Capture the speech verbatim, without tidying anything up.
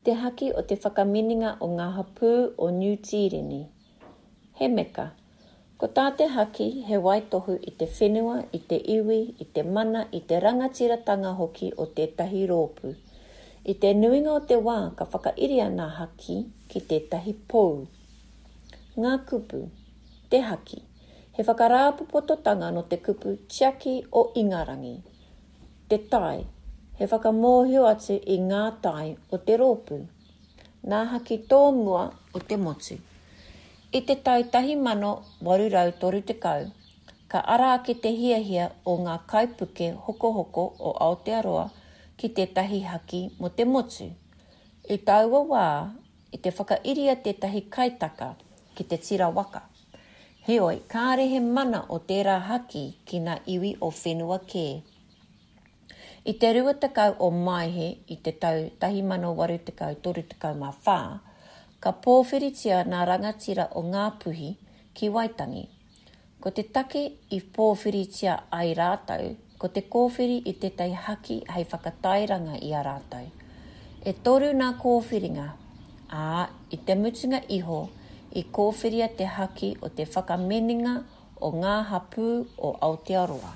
Te haki o te Whakaminenga o ngā Hapū o Niu Tīreni. He meka. Ko tā te haki he waitohu i te whenua, i te iwi, i te mana, i te rangatiratanga hoki o tētahi rōpū. I te nuinga o te wā ka whakairia ngā haki ki tētahi pou. Ngā kupu. Te haki. He whakarāpopototanga nō te kupu tiaki o Ingarangi. Te tae. He whakamōhio atu i ngā tae o te rōpū. Nā haki tōmua o te motu. I te tau tahi mano waru rau toru tekau, ka ara ake te hiahia o ngā kaipuke hokohoko o Aotearoa ki tētahi haki mō te motu. I taua wā, i te whakairia tētahi kaitaka ki te tira waka. Heoi, kāre he mana o tērā haki ki ngā iwi o whenua kē. I te rua tekau o Maehe i te tau tahi mano waru tekau toru tekau mā whā, ka pōwhiritia ngā rangatira o Ngāpuhi ki Waitangi. Ko te take i pōwhiritia ai rātou, ko te kōwhiri i tētahi haki hei whakatairanga i a rātou. E toru ngā kōwhiringa, ā, i te mutunga iho i kōwhiria te haki o te Whakaminenga o ngā Hapū o Aotearoa.